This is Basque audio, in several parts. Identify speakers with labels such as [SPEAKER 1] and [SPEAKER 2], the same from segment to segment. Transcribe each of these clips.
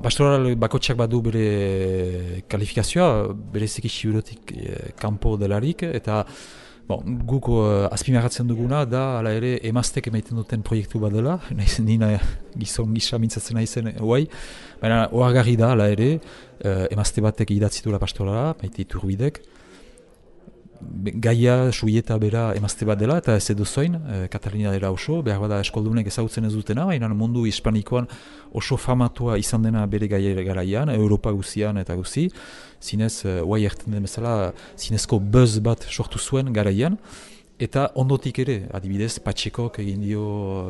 [SPEAKER 1] Pastoral bakotxak badu bere kalifikazioa, bereziki Sibirotik kanpo delarik, eta guk azpimarratzen duguna da, hala ere, emaztek emaiten duten proiektu bat dela, nina gizon gisa mintzatzen naizen guai, baina ohargarri da, hala ere, emazte batek idatzitula pastorala, Maite Iturbidek, gaia, suieta bera emazte bat dela, eta ez edo zoin, Katalina dela oso, behar bada eskoldunek ezagutzen ez dutena, baina mundu hispanikoan oso famatua izan dena bere gaia garaian, Europa guzian eta guzi, zinez, guai erten den bezala, zinezko buzz bat sortu zuen garaian, eta ondotik ere, adibidez, Patxikok egin dio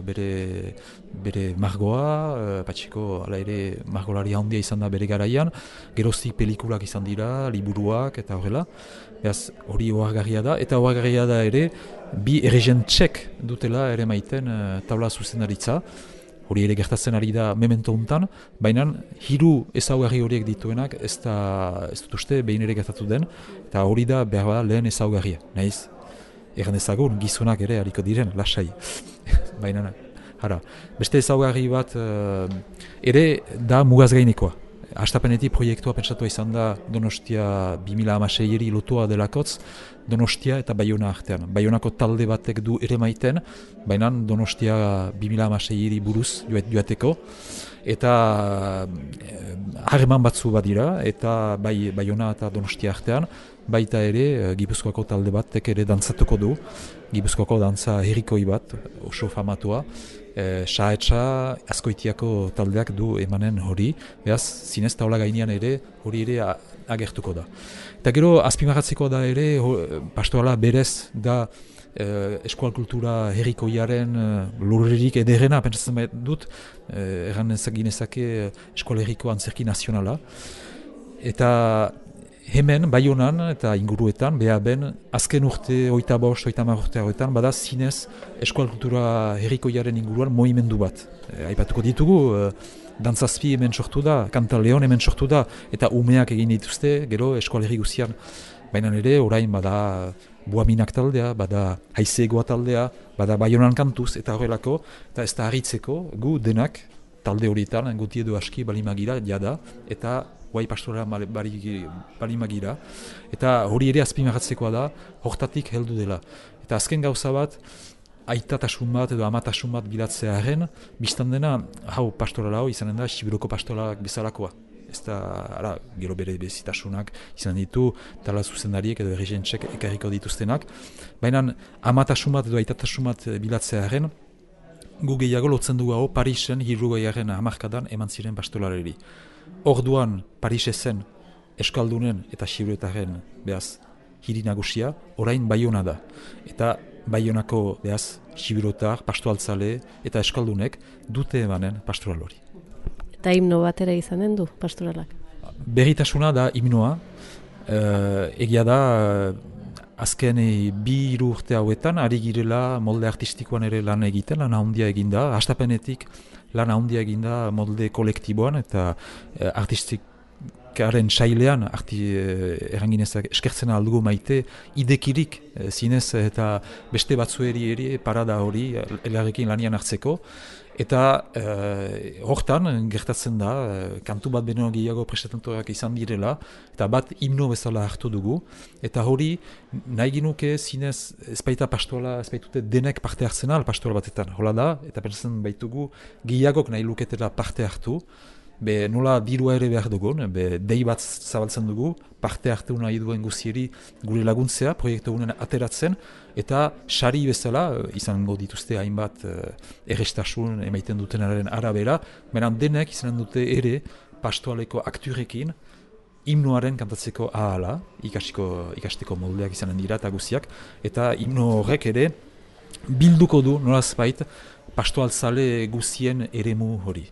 [SPEAKER 1] bere margoa, Patxiko hala ere margolari handia izan da bere garaian, geroztik pelikulak izan dira, liburuak eta horrela, beraz hori ohargarria da, eta ohargarria da ere, bi erregentsek dutela ere maiten taula zuzendaritza, hori ere gertatzen ari da memento untan, baina hiru ezaugarri horiek dituenak ez dut uste behin ere gertatu den, eta hori da behar bada lehen ezaugarria, nahiz? Egan ezagun, gizonak ere hariko diren, lasai. Baina, beste ezaugarri bat ere da mugaz gainekoa. Hastapenetik proiektua pentsatua izan da Donostia 2016-eri lotua delakotz, Donostia eta Baiona artean. Baionako talde batek du ere maiten, baina Donostia 2016-eri buruz joateko. Eta harreman batzu badira, eta Baiona eta Donostia artean, baita ere Gipuzkoako talde batek ere dantzatuko du, Gipuzkoako dantza herrikoi bat, oso famatua, Saetxa Azkoitiako taldeak du emanen hori, behaz zinez taula gainean ere hori ere agertuko da. Eta gero azpimarratzeko da ere, pastorala berez da eskual kultura herrikoiaren lurrerik ederrena, pentsatzen dut, erran ginezake eskual herriko antzerki nazionala. Eta hemen, Baionan eta inguruetan, behaben, azken urte, 25-30 urte horretan, bada zinez eskual kultura herrikoiaren inguruan movimendu bat. Aipatuko ditugu, dantzazpi hemen sortu da, Kanta Leon hemen sortu da, eta umeak egin dituzte, gero eskual herri guzian. Baina ere, orain bada Buaminak taldea, bada Haizegoa taldea, bada Baionan kantuz, eta horrelako, eta ez da harritzeko, gu denak, talde horietan, guti edo aski balimagira, jada, eta guai pastorala balimagira, eta hori ere azpimarratzekoa da, hortatik heldu dela. Eta azken gauza bat, aitatasun bat edo amatasun bat bilatzearen, biztan dena, hau pastorala hau izanen da, Sibiroko pastoralak bezalakoa. Ez da, gero bere bezitasunak izan ditu, tala zuzendariek edo erregentsek ekarriko dituztenak, baina amatasun bat edo aitatasun bat bilatzearen, gu gehiago lotzen dugu hau Parisen 70. hamarkadan eman ziren pastolareri. Orduan Parisesen eskaldunen eta Sibirotarren behaz hiri nagusia, orain Baiona da. Eta Baionako behaz Sibirotar, pastoaltzale eta eskaldunek dute emanen pastoral hori.
[SPEAKER 2] Eta himno batera izanen du pastoralak?
[SPEAKER 1] Berritasuna da himnoa, egia da azken 2 urte hauetan, ari girela molde artistikoan ere lan egiten, lan handia eginda, hastapenetik lan handia eginda molde kolektiboan eta artistikaren sailean, erranginezak eskertzen aldugu maite, idekirik zinez eta beste batzueri ere parada hori elgarrekin lanian hartzeko. Eta hortan gertatzen da, kantu bat beno gehiago prestatentorak izan direla, eta bat himno bezala hartu dugu, eta hori nahi ginuke zinez ezpaita pastoala, ezpaitute denek parte hartzen al pastoala batetan, hola da, eta pentsatzen baitugu gehiagok nahi luketela parte hartu, nola dirua ere behar dugun, dei bat zabaltzen dugu, parte hartu nahi duen guzieri gure laguntzea, proiektu gunen ateratzen, eta sari bezala, izango dituzte hainbat errestasun emaiten dutenaren arabera, beran denek izan dute ere pastoaleko akturekin, himnoaren kantatzeko ahala, ikasteko moldeak izanen dira eta guziak, eta himno horrek ere bilduko du nolazbait pastoaltzale guzien eremu hori.